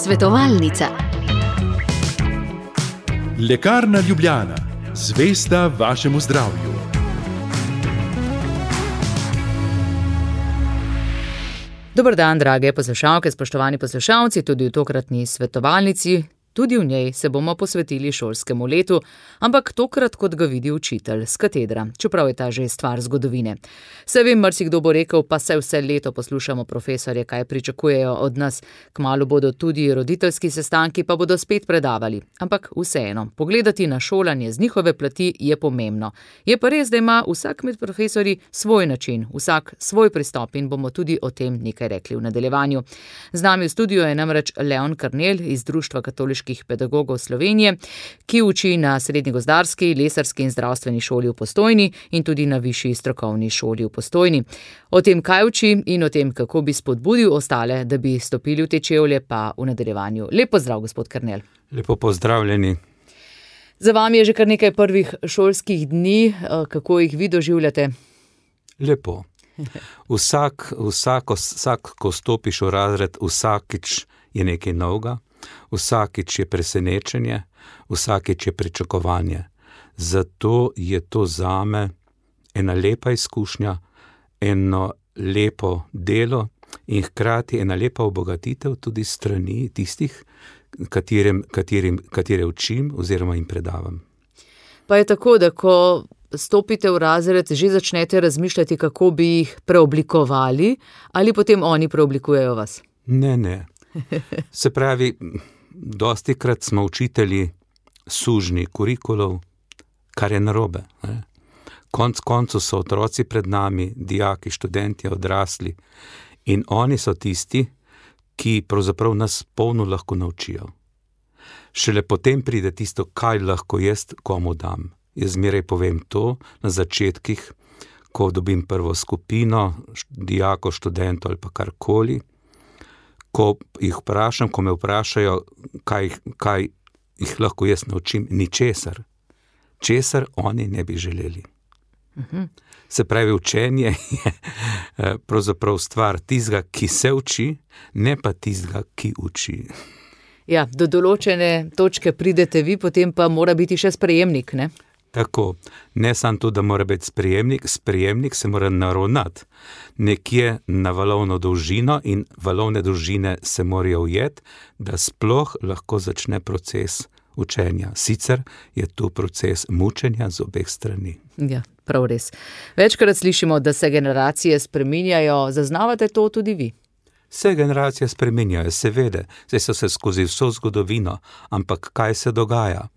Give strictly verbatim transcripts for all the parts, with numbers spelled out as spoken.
Svetovalnica. Lekarna Ljubljana, zvesta vašemu zdravju. Dober dan, drage poslušalke, spoštovani poslušalci, tudi v tokratni svetovalnici. Tudi v njej se bomo posvetili šolskemu letu, ampak tokrat kot ga vidi učitelj s katedra, čeprav je ta že stvar zgodovine. Se vem, marsikdo bo rekel, pa se vse leto poslušamo profesorje, kaj pričakujejo od nas. Kmalu bodo tudi roditeljski sestanki, pa bodo spet predavali. Ampak vseeno, pogledati na šolanje z njihove plati je pomembno. Je pa res, da ima vsak med profesorji svoj način, vsak svoj pristop in bomo tudi o tem nekaj rekli v nadaljevanju. Z nami v studiu je namreč Leon Karnel iz Društva katoliških pedagogov Slovenije, ki uči na Srednji gozdarski, lesarski in zdravstveni šoli v Postojni in tudi na Višji strokovni šoli v Postojni. O tem, kaj uči in o tem, kako bi spodbudil ostale, da bi stopili v te čevlje, pa v nadaljevanju. Lep pozdrav, gospod Karnel. Lepo pozdravljeni. Za vami je že kar nekaj prvih šolskih dni. Kako jih vi doživljate? Lepo. Vsak, vsako, vsak, ko stopiš v razred, vsakič je nekaj novega. Vsakič je presenečenje, vsakič je pričakovanje. Zato je to zame ena lepa izkušnja, eno lepo delo in hkrati ena lepa obogatitev tudi strani tistih, katerim, katerim, katere učim oziroma jim predavam. Pa je tako, da ko stopite v razred, že začnete razmišljati, kako bi jih preoblikovali, ali potem oni preoblikujejo vas? Ne, ne. Se pravi, dostikrat smo učitelji sužnji kurikulov, kar je narobe. Ne? Konc koncu so otroci pred nami, dijaki, študenti, odrasli in oni so tisti, ki pravzaprav nas polno lahko naučijo. Šele potem pride tisto, kaj lahko jaz komu dam. Jaz zmeraj povem to na začetkih, ko dobim prvo skupino, dijako, študentov ali pa karkoli. Ko jih vprašam, ko me vprašajo, kaj, kaj jih lahko jaz naučim, ničesar. Česar oni ne bi želeli. Uh-huh. Se pravi, učenje je pravzaprav stvar tistega, ki se uči, ne pa tistega, ki uči. Ja, do določene točke pridete vi, potem pa mora biti še sprejemnik, ne? Tako, ne samo to, da mora biti sprejemnik, sprejemnik se mora naravnati nekje na valovno dolžino in valovne dolžine se morajo ujeti, da sploh lahko začne proces učenja. Sicer je tu proces mučenja z obeh strani. Ja, prav res. Večkrat slišimo, da se generacije spreminjajo, zaznavate to tudi vi? Vse generacije spreminjajo, seveda, zdaj so se skozi vso zgodovino, ampak kaj se dogaja?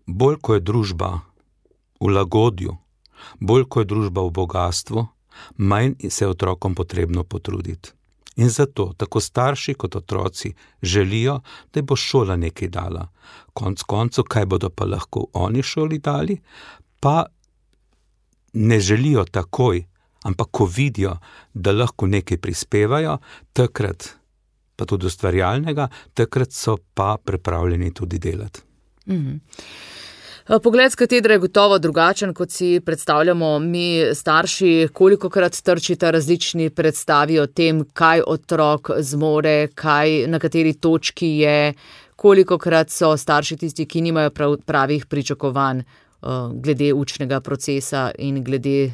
Bolj, ko je družba v lagodju, bolj, ko je družba v bogatstvu, manj se je otrokom potrebno potruditi. In zato tako starši kot otroci želijo, da bo šola nekaj dala. Konc koncu, kaj bodo pa lahko oni šoli dali, pa ne želijo takoj, ampak ko vidijo, da lahko nekaj prispevajo, takrat pa tudi ustvarjalnega, takrat so pa pripravljeni tudi delati. Mhm. Pogled s katedre je gotovo drugačen, kot si predstavljamo mi starši, kolikokrat trčita različni predstavi o tem, kaj otrok zmore, kaj, na kateri točki je, kolikokrat so starši tisti, ki nimajo prav, pravih pričakovanj uh, glede učnega procesa in glede,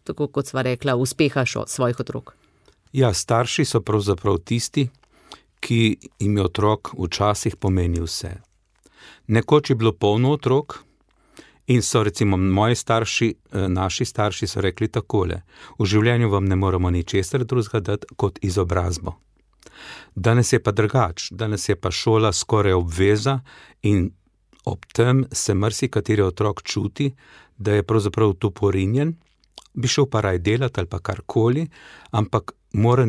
tako kot sva rekla, uspeha šo, svojih otrok. Ja, starši so pravzaprav tisti, ki jim je otrok včasih pomeni vse. Nekoč je bilo polno otrok, in so recimo moji starši, naši starši so rekli takole: v življenju vam ne moramo ničesar drugega dati kot izobrazbo. Danes je pa drugač, danes je pa šola skoraj obveza in ob tem se marsikateri otrok čuti, da je pravzaprav tu porinjen, bi šel pa raj delati ali pa karkoli, ampak mora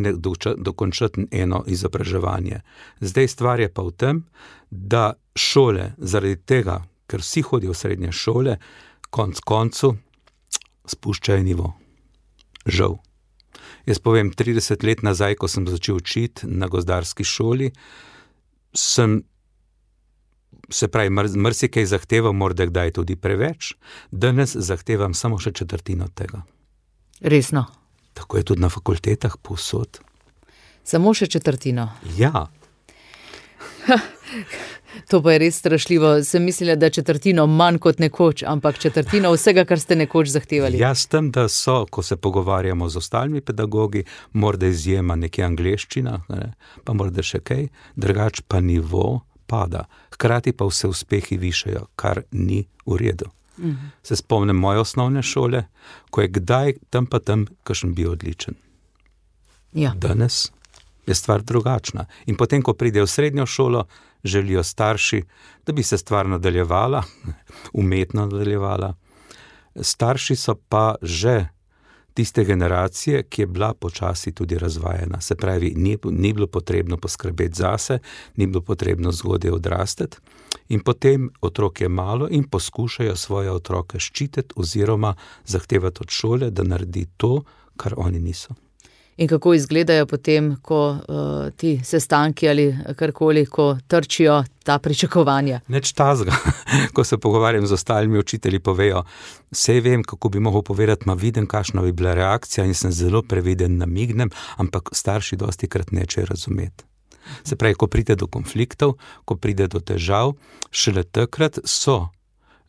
dokončati eno izobraževanje. Zdaj stvar je pa v tem, da šole zaradi tega, ker vsi hodijo v srednje šole, konc koncu spuščajo nivo. Žal. Jaz povem, trideset let nazaj, ko sem začel učiti na gozdarski šoli, sem, se pravi, marsikaj zahteval, morda kdaj tudi preveč, danes zahtevam samo še četrtino tega. Resno? Tako je tudi na fakultetah povsod. Samo še četrtino? Ja. To pa je res strašljivo. Sem mislila, da četrtino manj kot nekoč, ampak četrtino vsega, kar ste nekoč zahtevali. Ja, s tem, da so, ko se pogovarjamo z ostalimi pedagogi, morda izjema nekje angleščina, ne, pa morda še kaj, drugač pa nivo pada. Hkrati pa vse uspehi višajo, kar ni v redu. Mhm. Se spomnim moje osnovne šole, ko je kdaj tam pa tam kakšen bil odličen. Ja. Danes je stvar drugačna. In potem, ko pride v srednjo šolo, želijo starši, da bi se stvar nadaljevala, umetno nadaljevala. Starši so pa že tiste generacije, ki je bila počasi tudi razvajena. Se pravi, ni, ni bilo potrebno poskrbeti zase, ni bilo potrebno zgodaj odrasteti. In potem otrok je malo in poskušajo svoje otroke ščititi oziroma zahtevati od šole, da naredi to, kar oni niso. In kako izgledajo potem, ko uh, ti sestanki ali karkoli, ko trčijo ta pričakovanja? Nič tazga. Ko se pogovarjam z ostalimi učitelji, povejo, sej vem, kako bi mogel povedati, ma vidim, kakšna bi bila reakcija in sem zelo previden, namignem, ampak starši dosti krat neče razumeti. Se pravi, ko pride do konfliktov, ko pride do težav, šele takrat so,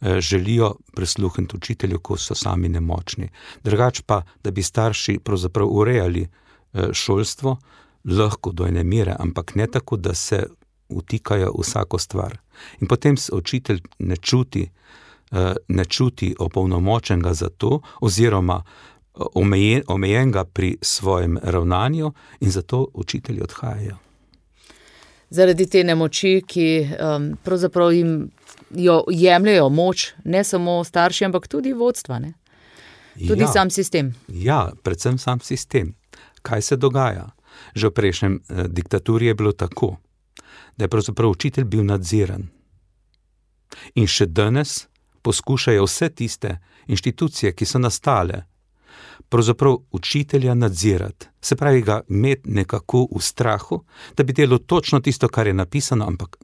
eh, želijo prisluhniti učitelju, ko so sami nemočni. Drugač pa, da bi starši pravzaprav urejali eh, šolstvo, lahko do ene mere, ampak ne tako, da se vtikajo vsako stvar. In potem se učitelj ne čuti, eh, ne čuti opolnomočenega za to, oziroma omejen, omejenega pri svojem ravnanju in zato učitelji odhajajo. Zaradi te nemoči, ki um, pravzaprav jim jo jemljajo moč, ne samo starši, ampak tudi vodstva, ne? Tudi ja, sam sistem. Ja, predvsem sam sistem. Kaj se dogaja? Že v prejšnjem eh, diktaturi je bilo tako, da je pravzaprav učitelj bil nadziran. In še danes poskušajo vse tiste inštitucije, ki so nastale, pravzaprav učitelja nadzirati. Se pravi, ga imeti nekako v strahu, da bi delal točno tisto, kar je napisano, ampak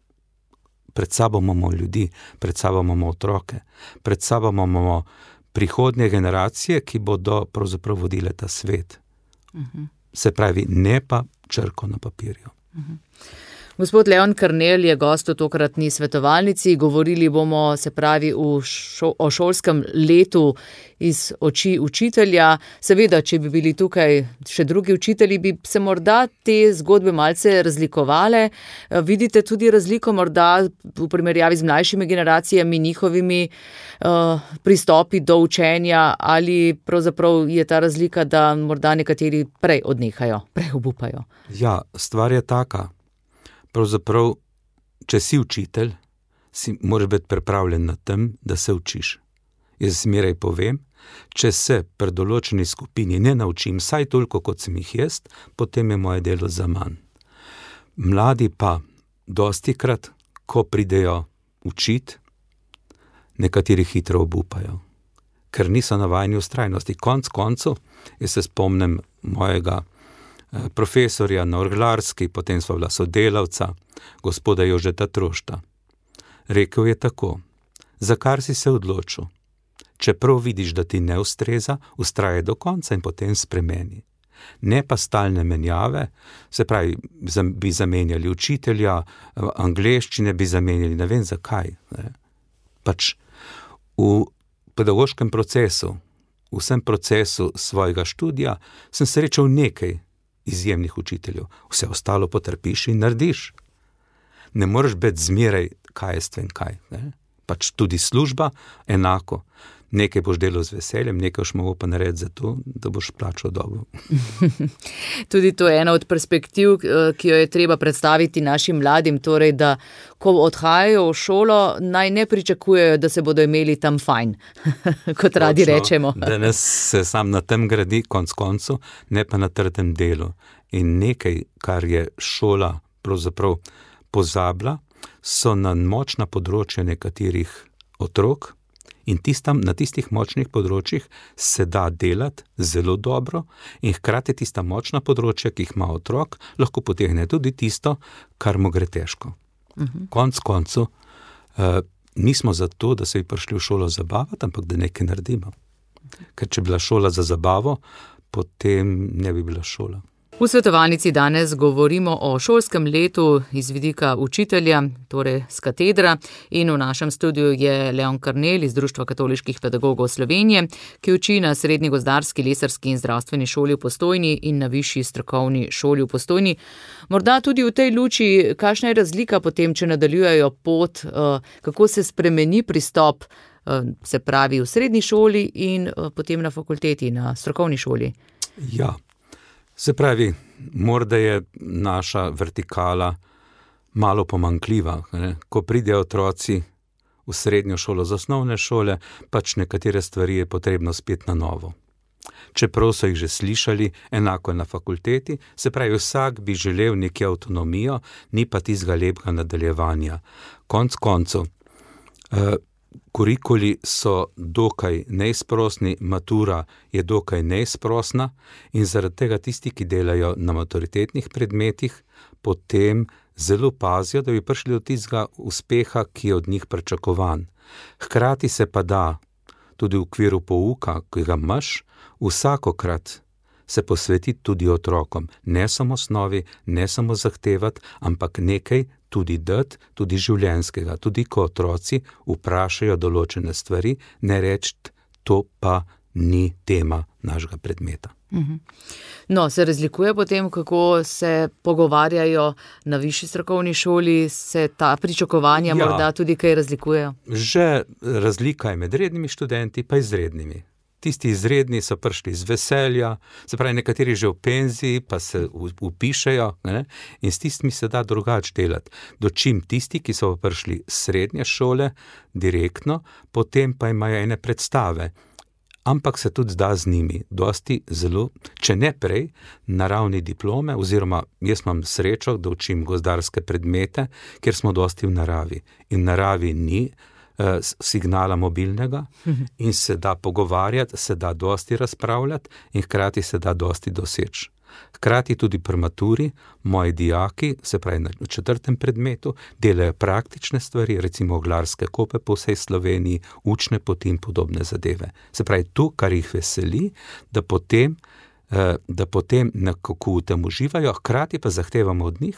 pred sabo imamo ljudi, pred sabo imamo otroke, pred sabo imamo prihodnje generacije, ki bodo pravzaprav vodile ta svet. Uh-huh. Se pravi, ne pa črko na papirju. Uh-huh. Gospod Leon Karnel je gost v tokratni svetovalnici. Govorili bomo, se pravi, v šo, o šolskem letu iz oči učitelja. Seveda, če bi bili tukaj še drugi učitelji, bi se morda te zgodbe malce razlikovale. Vidite tudi razliko morda v primerjavi z mlajšimi generacijami, njihovimi uh, pristopi do učenja, ali pravzaprav je ta razlika, da morda nekateri prej odnehajo, prej obupajo? Ja, stvar je taka. Pravzaprav, če si učitelj, si moraš biti pripravljen na tem, da se učiš. Jaz zmeraj povem, če se pri določeni skupini ne naučim vsaj toliko, kot sem jih jaz, potem je moje delo zaman. Mladi pa dostikrat, ko pridejo učiti, nekateri hitro obupajo, ker niso navajeni vztrajnosti. Konc koncev, jaz se spomnim mojega profesorja na orglarski, potem sva bila sodelavca, gospoda Jožeta Trošta. Rekel je tako, za kar si se odločil? Čeprav vidiš, da ti ne ustreza, ustraje do konca in potem spremeni. Ne pa stalne menjave, se pravi, bi zamenjali učitelja, angleščine bi zamenjali, ne vem zakaj. Ne. Pač v pedagoškem procesu, v vsem procesu svojega študija, sem srečal nekaj izjemnih učiteljev. Vse ostalo potrpiš in narediš. Ne moreš biti zmeraj kaj jest vem kaj. Ne? Pač tudi služba enako. Nekaj boš delal z veseljem, nekaj boš mogel pa narediti za to, da boš plačal dobro. Tudi to je ena od perspektiv, ki jo je treba predstaviti našim mladim, torej, da ko odhajajo v šolo, naj ne pričakujejo, da se bodo imeli tam fajn, kot radi rečemo. Danes se sam na tem gradi, konc koncu, ne pa na trdem delu. In nekaj, kar je šola pravzaprav pozabila, so na močna področja nekaterih otrok, in tistam, na tistih močnih področjih se da delati zelo dobro in hkrati tista močna področja, ki jih ima otrok, lahko potegne tudi tisto, kar mu gre težko. Uh-huh. Konc koncu, uh, nismo za to, da se bi prišli v šolo zabavati, ampak da nekaj naredimo. Ker če bi bila šola za zabavo, potem ne bi bila šola. V svetovalnici danes govorimo o šolskem letu iz vidika učitelja, torej s katedra, in v našem studiu je Leon Karnel iz Društva katoliških pedagogov Slovenije, ki uči na Srednji gozdarski, lesarski in zdravstveni šoli v Postojni in na Višji strokovni šoli v Postojni. Morda tudi v tej luči, kakšna je razlika potem, če nadaljujejo pot, kako se spremeni pristop, se pravi v srednji šoli in potem na fakulteti, na strokovni šoli? Ja. Se pravi, morda je naša vertikala malo pomanjkljiva. Ne? Ko pridejo otroci v srednjo šolo, z osnovne šole, pač nekatere stvari je potrebno spet na novo. Čeprav so jih že slišali, enako je na fakulteti, se pravi, vsak bi želel nekaj avtonomijo, ni pa tistega lepega nadaljevanja. Konc koncev, eh, kurikuli so dokaj neizprosni, matura je dokaj neizprosna in zaradi tega tisti, ki delajo na maturitetnih predmetih, potem zelo pazijo, da bi prišli do tistega uspeha, ki je od njih pričakovan. Hkrati se pa da, tudi v okviru pouka, ki ga imaš, vsakokrat se posvetiti tudi otrokom, ne samo osnovi, ne samo zahtevati, ampak nekaj tudi dati, tudi življenjskega, tudi ko otroci vprašajo določene stvari, ne reči, to pa ni tema našega predmeta. No, se razlikuje potem, kako se pogovarjajo na višji strokovni šoli, se ta pričakovanja ja, morda tudi kaj razlikujejo? Že razlika je med rednimi študenti pa izrednimi. Tisti izredni so prišli iz veselja, se pravi, nekateri že v penziji, pa se upišejo, ne? In s tistimi se da drugače delati. Dočim tisti, ki so prišli z srednje šole, direktno, potem pa imajo ene predstave. Ampak se tudi zda z njimi, dosti zelo, če ne prej, na ravni diplome, oziroma jaz imam srečo, da učim gozdarske predmete, kjer smo dosti v naravi. In v naravi ni signala mobilnega in se da pogovarjati, se da dosti razpravljati in hkrati se da dosti doseči. Hkrati tudi pri maturi moji dijaki, se pravi na četrtem predmetu, delajo praktične stvari, recimo oglarske kope po vsej Sloveniji, učne poti in podobne zadeve. Se pravi, to, kar jih veseli, da potem, da potem nekako v tem uživajo, hkrati pa zahtevamo od njih,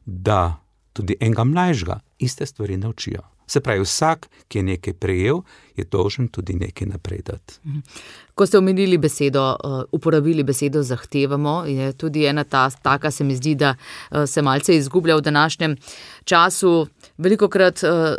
da tudi enega mlajšega iste stvari naučijo. Se pravi, vsak, ki je nekaj prejel, je dolžen tudi nekaj naprej dati. Ko ste omenili besedo, uporabili besedo zahtevamo, je tudi ena ta, taka se mi zdi, da se malce izgublja v današnjem času. Velikokrat uh,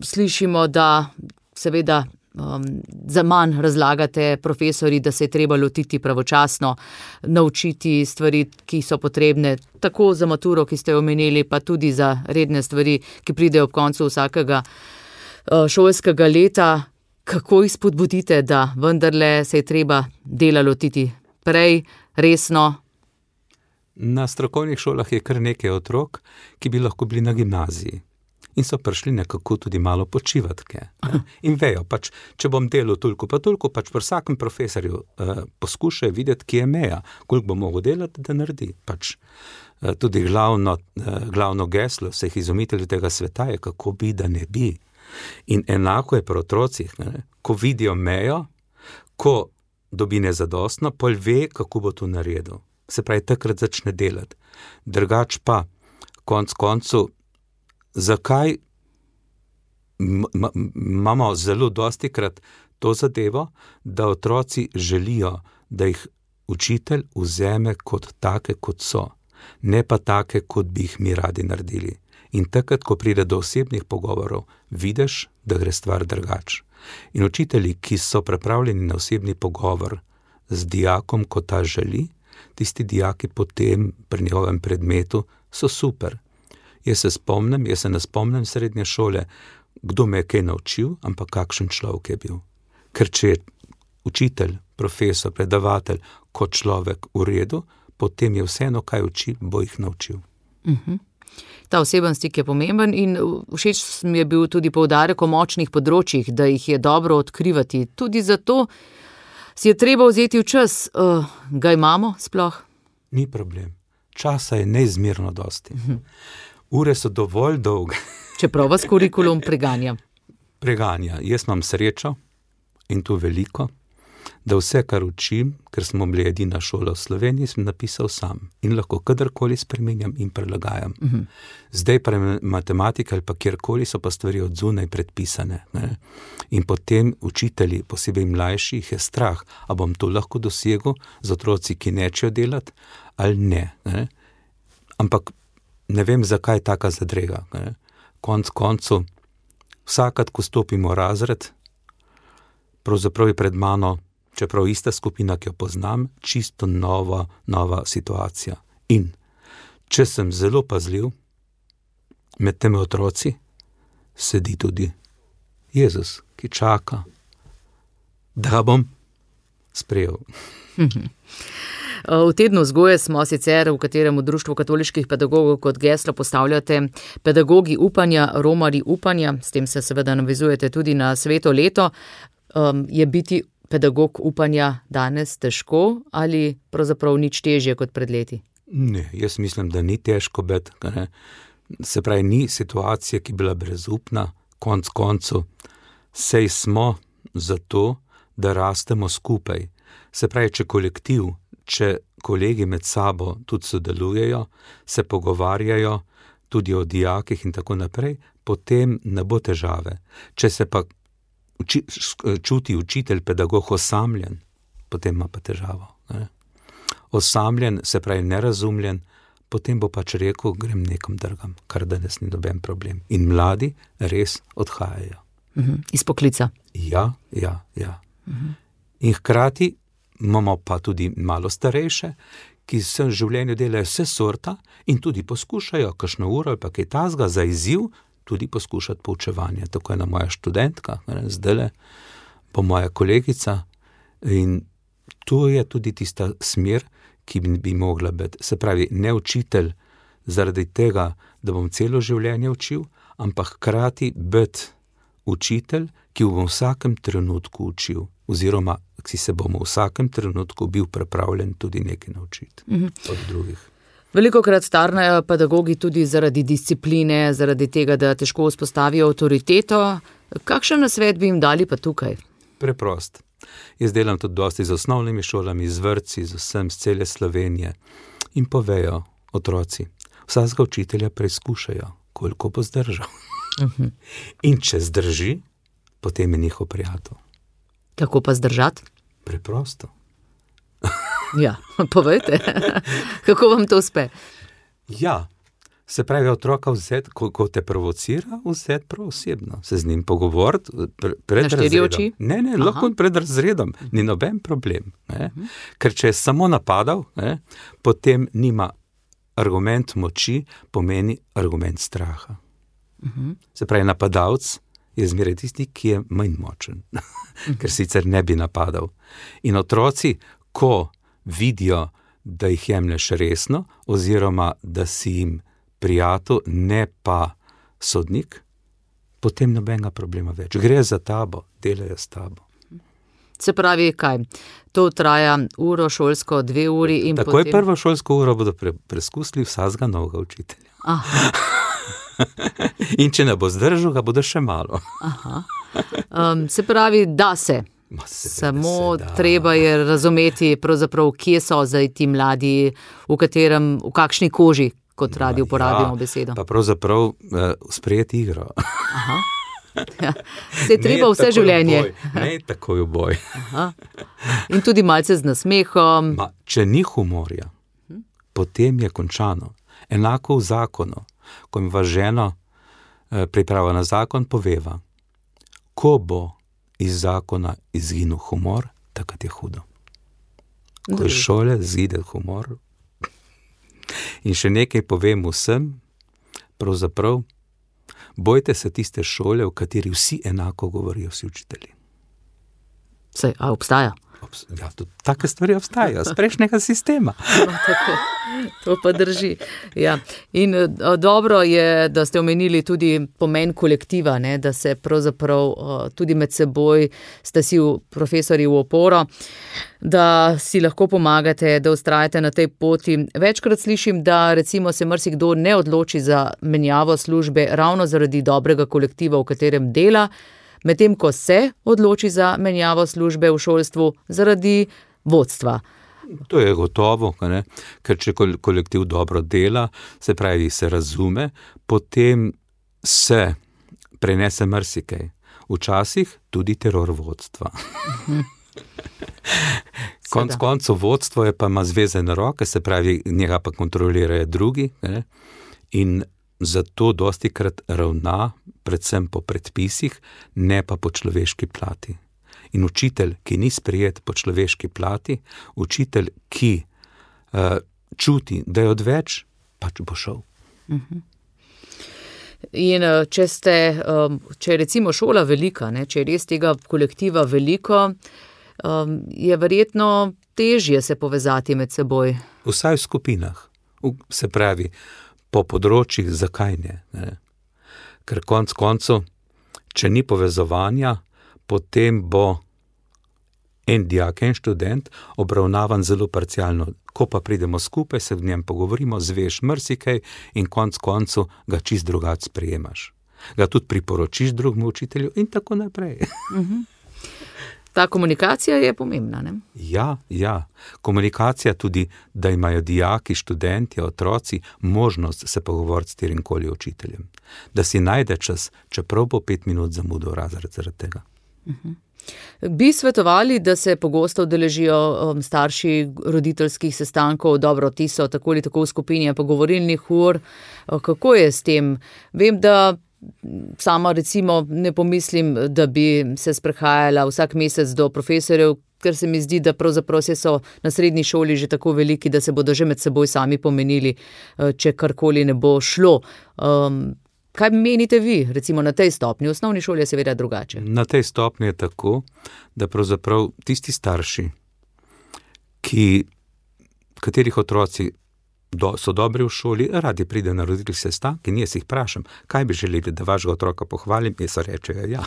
slišimo, da seveda um, za manj razlagate profesori, da se je treba lotiti pravočasno, naučiti stvari, ki so potrebne, tako za maturo, ki ste jo omenili, pa tudi za redne stvari, ki pridejo ob koncu vsakega uh, šolskega leta. Kako jih spodbudite, da vendarle se je treba dela lotiti prej, resno? Na strokovnih šolah je kar nekaj otrok, ki bi lahko bili na gimnaziji. In so prišli nekako tudi malo počivati. In vejo, pač, če bom delal toliko pa toliko, pač pri vsakem profesorju eh, poskušajo videti, kje je meja, koliko bo mogel delati, da naredi. Pač, eh, tudi glavno, eh, glavno geslo vseh izumiteljev tega sveta je, kako bi, da ne bi. In enako je pri otrocih, ne? Ko vidijo mejo, ko dobi nezadostno, pol ve, kako bo to naredil. Se pravi, takrat začne delati. Drugač pa, konc koncu, zakaj imamo zelo dostikrat to zadevo, da otroci želijo, da jih učitelj vzeme kot take, kot so, ne pa take, kot bi jih mi radi naredili. In takrat, ko pride do osebnih pogovorov, vidiš, da gre stvar drugače. In učitelji, ki so pripravljeni na osebni pogovor z dijakom, ko ta želi, tisti dijaki potem pri njegovem predmetu so super. Jaz se spomnim, jaz se ne spomnim srednje šole, kdo me je kaj naučil, ampak kakšen človek je bil. Ker če je učitelj, profesor, predavatelj kot človek v redu, potem je vseeno, kaj uči, bo jih naučil. Uh-huh. Ta oseben stik je pomemben in všeč mi je bil tudi poudarek o močnih področjih, da jih je dobro odkrivati. Tudi zato si je treba vzeti v čas. Uh, ga imamo sploh? Ni problem. Časa je neizmerno dosti. Uh-huh. Ure so dovolj dolge. Čeprav vas kurikulum preganja. Preganja. Jaz imam srečo, in to veliko, da vse, kar učim, ker smo bili edina šola v Sloveniji, sem napisal sam in lahko kadarkoli spreminjam in prilagajam. Uh-huh. Zdaj pa matematika ali pa kjerkoli so pa stvari od zunaj predpisane. Ne? In potem učitelji, posebej mlajši, jih je strah, a bom to lahko dosegel z otroci, ki nečejo delati, ali ne. ne? Ampak ne vem, zakaj taka zadrega. Ne? Konc koncu, vsakrat, ko stopimo v razred, pravzaprav je pred mano, čeprav ista skupina, ki jo poznam, čisto nova, nova situacija. In če sem zelo pazljiv, med temi otroci sedi tudi Jezus, ki čaka, da ga bom sprejel. V tednu vzgoje smo sicer, v katerem v Društvu katoliških pedagogov kot geslo postavljate pedagogi upanja, romarji upanja, s tem se seveda navezujete tudi na sveto leto. Um, je biti pedagog upanja danes težko ali pravzaprav nič težje kot pred leti? Ne, jaz mislim, da ni težko, bet, ne. Se pravi, ni situacija, ki je bila brezupna, konc koncu, sej smo zato, da rastemo skupaj. Se pravi, če kolektiv, če kolegi med sabo tudi sodelujejo, se pogovarjajo tudi o dijakih in tako naprej, potem ne bo težave. Če se pa uči, čuti učitelj, pedagog osamljen, potem ima pa težavo. Ne? Osamljen, se pravi nerazumljen, potem bo pač rekel, grem nekam drugam, kar danes ni noben problem. In mladi res odhajajo. Uh-huh. Iz poklica. Ja, ja, ja. Uh-huh. In hkrati imamo pa tudi malo starejše, ki v življenju delajo vse sorta in tudi poskušajo kakšno uro ali pa kaj tazga za izziv, tudi poskušati poučevanje. Tako je ena moja študentka, zdajle bo moja kolegica in to je tudi tista smer, ki bi, bi mogla biti. Se pravi, ne učitelj zaradi tega, da bom celo življenje učil, ampak hkrati biti učitelj, ki bom v vsakem trenutku učil, oziroma ki se bomo v vsakem trenutku bil pripravljen tudi nekaj naučiti mm-hmm. od drugih. Velikokrat starnajo pedagogi tudi zaradi discipline, zaradi tega, da težko vzpostavijo avtoriteto. Kakšen nasvet bi jim dali pa tukaj? Preprost. Jaz delam tudi dosti z osnovnimi šolami, z vrtci, z vsem, z cele Slovenije in povejo otroci, vsakega učitelja preizkušajo, koliko bo zdržal. Uh-huh. In če zdrži, potem je njihov prijatelj. Kako pa zdržati? Preprosto. Ja, povejte, kako vam to uspe? Ja, se pravi, otroka vzeti, ko, ko te provocira, vzeti prav osebno, se z njim pogovoriti pre, pred razredom. Ne, ne, Aha. lahko pred razredom, ni noben problem. Ne? Uh-huh. Ker če je samo napadal, ne, potem nima argument moči, pomeni argument straha. Uh-huh. Se pravi, napadalec je zmeraj tisti, ki je manj močen, uh-huh. ker sicer ne bi napadal. In otroci, ko vidijo, da jih jemlješ resno, oziroma da si jim prijatelj, ne pa sodnik, potem nobenega problema več. Gre za tabo, delajo s tabo. Se pravi, kaj? To traja uro šolsko, dve uri in Tako potem... Tako je prvo šolsko uro bodo pre, preskusili vsakega novega učitelja. Aha. In če ne bo zdržal, ga bodo še malo. Aha. Um, se pravi, da se. Samo se, treba je razumeti, pravzaprav, kje so zdaj ti mladi, v katerem, v kakšni koži, kot radi uporabimo ja, besedo. Pa pravzaprav uh, sprejeti igro. Aha. Ja, se je treba vse življenje. Ne takoj v boj. Aha. In tudi malce z nasmehom. Ma, če ni humorja, hm? potem je končano. Enako v zakonu, ko mi vas žena eh, priprava na zakon, poveva, ko bo iz zakona izginil humor, takrat je hudo. Ko iz šole zide humor. In še nekaj povem vsem, pravzaprav, bojte se tiste šole, v kateri vsi enako govorijo, vsi učitelji. Saj, a obstaja? Ja, tudi take stvari obstajajo, z prejšnjega sistema. No, tako, to pa drži. Ja. In o, dobro je, da ste omenili tudi pomen kolektiva, ne, da se pravzaprav o, tudi med seboj ste si v profesori v oporo, da si lahko pomagate, da ustrajate na tej poti. Večkrat slišim, da recimo se marsikdo ne odloči za menjavo službe ravno zaradi dobrega kolektiva, v katerem dela. medtem ko se odloči za menjavo službe v šolstvu zaradi vodstva. To je gotovo, ne? Ker če kolektiv dobro dela, se pravi, se razume, potem se prenese marsikaj. Včasih tudi teror vodstva. Konc koncev vodstvo je pa ima zvezane roke, se pravi, njega pa kontrolirajo drugi, ne? In zato dostikrat ravna predvsem po predpisih, ne pa po človeški plati. In učitelj, ki ni sprejet po človeški plati, učitelj, ki uh, čuti, da je odveč, pač bo šel. Uh-huh. In če ste, če je recimo šola velika, ne, če je res tega kolektiva veliko, je verjetno težje se povezati med seboj. Vsaj v skupinah, se pravi, po področjih, zakaj ne, ne? Ker konc koncev, če ni povezovanja, potem bo en dijak, en študent obravnavan zelo parcialno. Ko pa pridemo skupaj, se v njem pogovorimo, zveš marsikaj in konc koncu ga čist drugače sprejemaš. Ga tudi priporočiš drugemu učitelju in tako naprej. Uh-huh. Ta komunikacija je pomembna, ne? Ja, ja. Komunikacija tudi, da imajo dijaki, študenti, otroci možnost se pogovoriti s katerimkoli učiteljem. Da si najde čas, čeprav bo pet minut zamudil razred zaradi tega. Uh-huh. Bi svetovali, da se pogosto udeležijo um, starši roditeljskih sestankov, dobro, ti so tako ali tako v skupini pogovorilnih ur. Kako je s tem? Vem, da sama recimo ne pomislim, da bi se sprehajala vsak mesec do profesorjev, ker se mi zdi, da pravzaprav se so na srednji šoli že tako veliki, da se bodo že med seboj sami pomenili, če karkoli ne bo šlo. Um, Kaj menite vi, recimo na tej stopnji? V osnovni šoli je seveda drugače. Na tej stopnji je tako, da pravzaprav tisti starši, ki, katerih otroci do, so dobri v šoli, radi pride na roditeljski sestanek in jaz jih vprašam, kaj bi želeli, da vašega otroka pohvalim, jaz rečejo ja.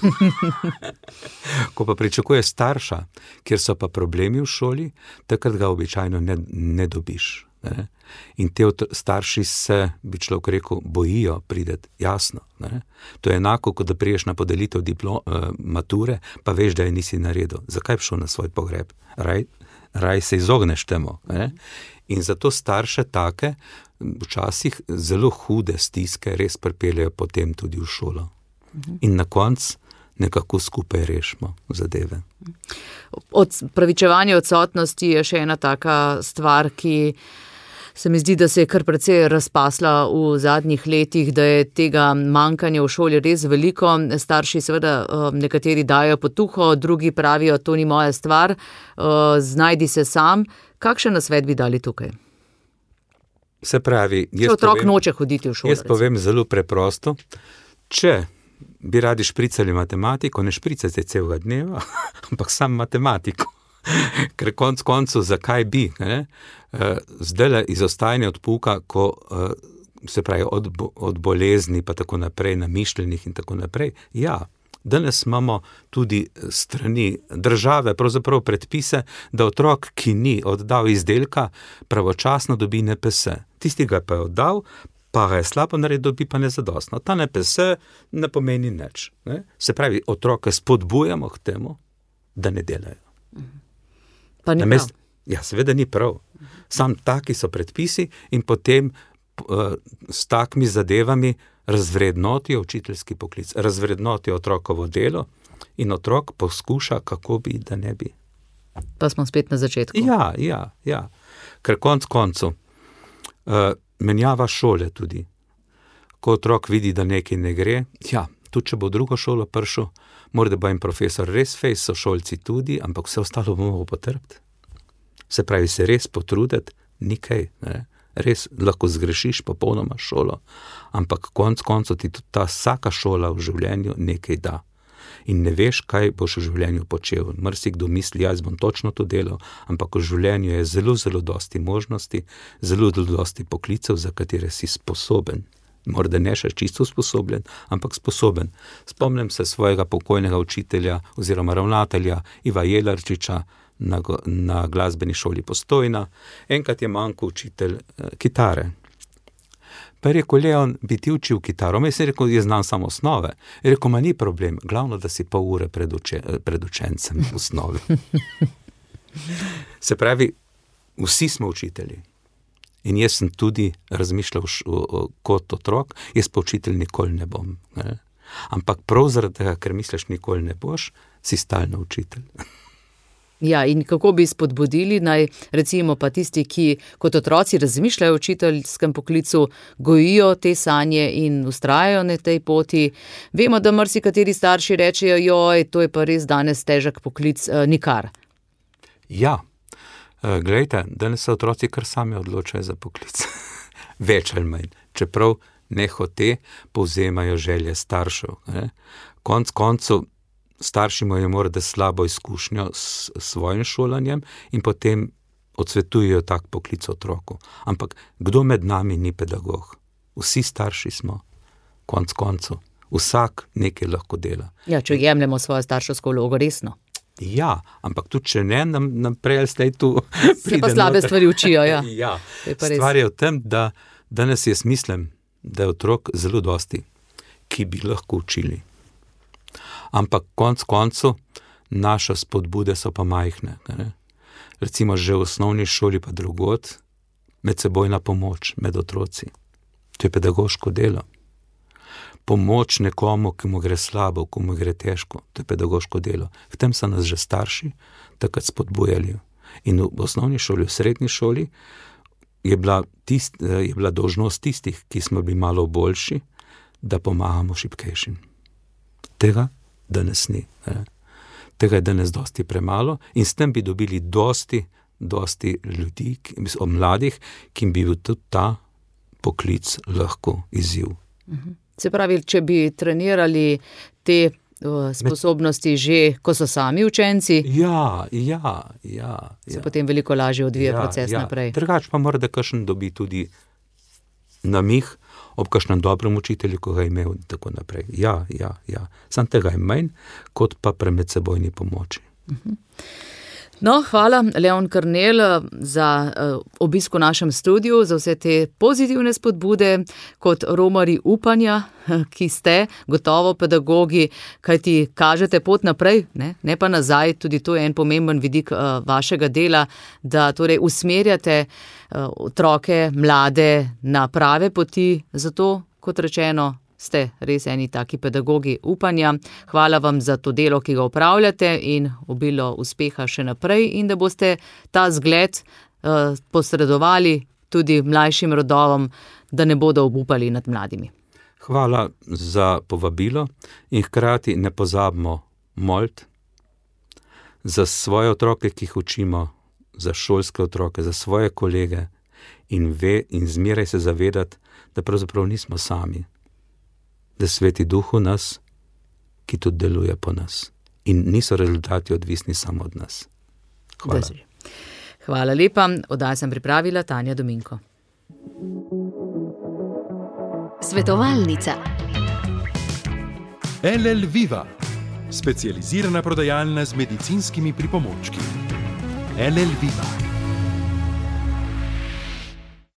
Ko pa pričakuje starša, kjer so pa problemi v šoli, takrat ga običajno ne, ne dobiš. Ne? In te starši se, bi človek rekel, bojijo prideti, jasno. Ne? To je enako, kot da priješ na podelitev diplo, uh, mature, pa veš, da je nisi naredil. Zakaj bi šel na svoj pogreb? Raj, raj se izogneš temu. Ne? In zato starše take, včasih zelo hude stiske res pripeljejo potem tudi v šolo. In na koncu nekako skupaj rešimo zadeve. Opravičevanje odsotnosti je še ena taka stvar, ki se mi zdi, da se je kar precej razpasla v zadnjih letih, da je tega manjkanja v šoli res veliko. Starši seveda nekateri dajo potuho, drugi pravijo, to ni moja stvar, znajdi se sam. Kakšen nasvet bi dali tukaj? Se pravi, če otrok povem, noče hoditi v šolo. Jaz povem recimo zelo preprosto, če bi radi špricali matematiko, ne špricate celega dneva, ampak sam matematiko. Ker konc koncu, zakaj bi? Ne? Zdajle izostajanje od pouka, ko se pravi od, od bolezni, pa tako naprej, namišljenih in tako naprej. Ja, danes imamo tudi strani države, pravzaprav predpise, da otrok, ki ni oddal izdelka, pravočasno dobi N P S. Tisti ga pa je oddal, pa ga je slabo naredil, dobi pa nezadostno. Ta N P S ne pomeni nič. Ne? Se pravi, otroke spodbujamo k temu, da ne delajo. Pa ni Namest, prav. Ja, seveda ni prav. Sam taki so predpisi in potem uh, s takimi zadevami razvrednotijo učiteljski poklic, razvrednotijo otrokovo delo in otrok poskuša, kako bi, da ne bi. Pa smo spet na začetku. Ja, ja, ja. Ker konc koncu uh, menjava šole tudi. Ko otrok vidi, da nekaj ne gre, ja, tudi če bo v drugo šolo prišel, mora da bo en profesor res fejs, sošolci tudi, ampak vse ostalo bomo potrpiti. Se pravi, se res potruditi, nikaj, ne? Res lahko zgrešiš popolnoma šolo, ampak konc koncu ti tudi ta vsaka šola v življenju nekaj da. In ne veš, kaj boš v življenju počel. Marsikdo misli, jaz bom točno to delal, ampak v življenju je zelo, zelo dosti možnosti, zelo, zelo dosti poklicev, za katere si sposoben. Morda ne še čisto sposoben, ampak sposoben. Spomnim se svojega pokojnega učitelja oziroma ravnatelja Iva Jelarčiča na, na glasbeni šoli Postojna. Enkrat je manjkal učitelj eh, kitare. Pa je rekel, Leon, bi ti učil kitaro? Me je rekel, jaz znam samo osnove. Je rekel, ma ni problem, glavno, da si pol ure pred, uče, pred učencem v osnovi. Se pravi, vsi smo učitelji. In jaz sem tudi razmišljal kot otrok, jaz pa učitelj nikoli ne bom. Ne? Ampak prav zaradi tega, ker misliš nikoli ne boš, si stalno učitelj. Ja, in kako bi spodbudili, naj recimo pa tisti, ki kot otroci razmišljajo o učiteljskem poklicu, gojijo te sanje in vztrajajo na tej poti. Vemo, da marsikateri starši rečejo, joj, to je pa res danes težek poklic, eh, nikar. Ja, e, glejte, danes se otroci kar sami odločajo za poklic. Več ali manj. Čeprav nehote povzemajo želje staršev. Ne? Konc koncev starši imajo morda slabo izkušnjo s svojim šolanjem in potem odsvetujejo tak poklic otroku. Ampak kdo med nami ni pedagog? Vsi starši smo, konc koncev. Vsak nekaj lahko dela. Ja, če jemljemo svojo starševsko vlogo resno. Ja, ampak tudi če ne, nam, nam prej zdaj tu se pa slabe stvari učijo, ja. Ja, stvar je v tem, da danes jaz mislim, da je otrok zelo dosti, ki bi lahko učili. Ampak konc koncu naše spodbude so pa majhne. Ne? Recimo že v osnovni šoli pa drugod, medsebojna pomoč med otroci. To je pedagoško delo. Pomoč nekomu, ki mu gre slabo, ki mu gre težko, to je pedagoško delo. V tem so nas že starši takrat spodbujali. In v osnovni šoli, v srednji šoli je bila, tist, je bila dolžnost tistih, ki smo bili malo boljši, da pomagamo šibkejšim. Tega danes ni. Ne? Tega je danes dosti premalo in s tem bi dobili dosti, dosti ljudi, ki, mladih, ki bi bil tudi ta poklic lahko izziv. Se pravi, če bi trenirali te uh, sposobnosti že, ko so sami učenci, ja, ja, ja, se ja. potem veliko lažje odvija ja, proces ja. naprej. Drugač pa mora, da kakšen dobi tudi namih ob kakšnem dobrem učitelju, ko ga je imel in tako naprej. Ja, ja, ja. Sam tega je manj, kot pa pri medsebojni pomoči. Uh-huh. No, hvala, Leon Karnel, za uh, obisk v našem studiu, za vse te pozitivne spodbude, kot romarji upanja, ki ste gotovo pedagogi, kajti kažete pot naprej, ne, ne pa nazaj, tudi to je en pomemben vidik uh, vašega dela, da torej usmerjate uh, otroke, mlade na prave poti, zato, kot rečeno, ste res eni taki pedagogi upanja. Hvala vam za to delo, ki ga opravljate in obilo uspeha še naprej in da boste ta zgled uh, posredovali tudi mlajšim rodovom, da ne bodo obupali nad mladimi. Hvala za povabilo in hkrati ne pozabimo moliti za svoje otroke, ki jih učimo, za šolske otroke, za svoje kolege in, ve, in zmeraj se zavedati, da pravzaprav nismo sami. Da Sveti Duh v nas, ki tudi deluje po nas. In niso rezultati odvisni samo od nas. Hvala. Hvala lepa. Oddajo sem pripravila Tanja Dominko. Svetovalnica. L L Viva, specializirana prodajalna z medicinskimi pripomočki. L L Viva.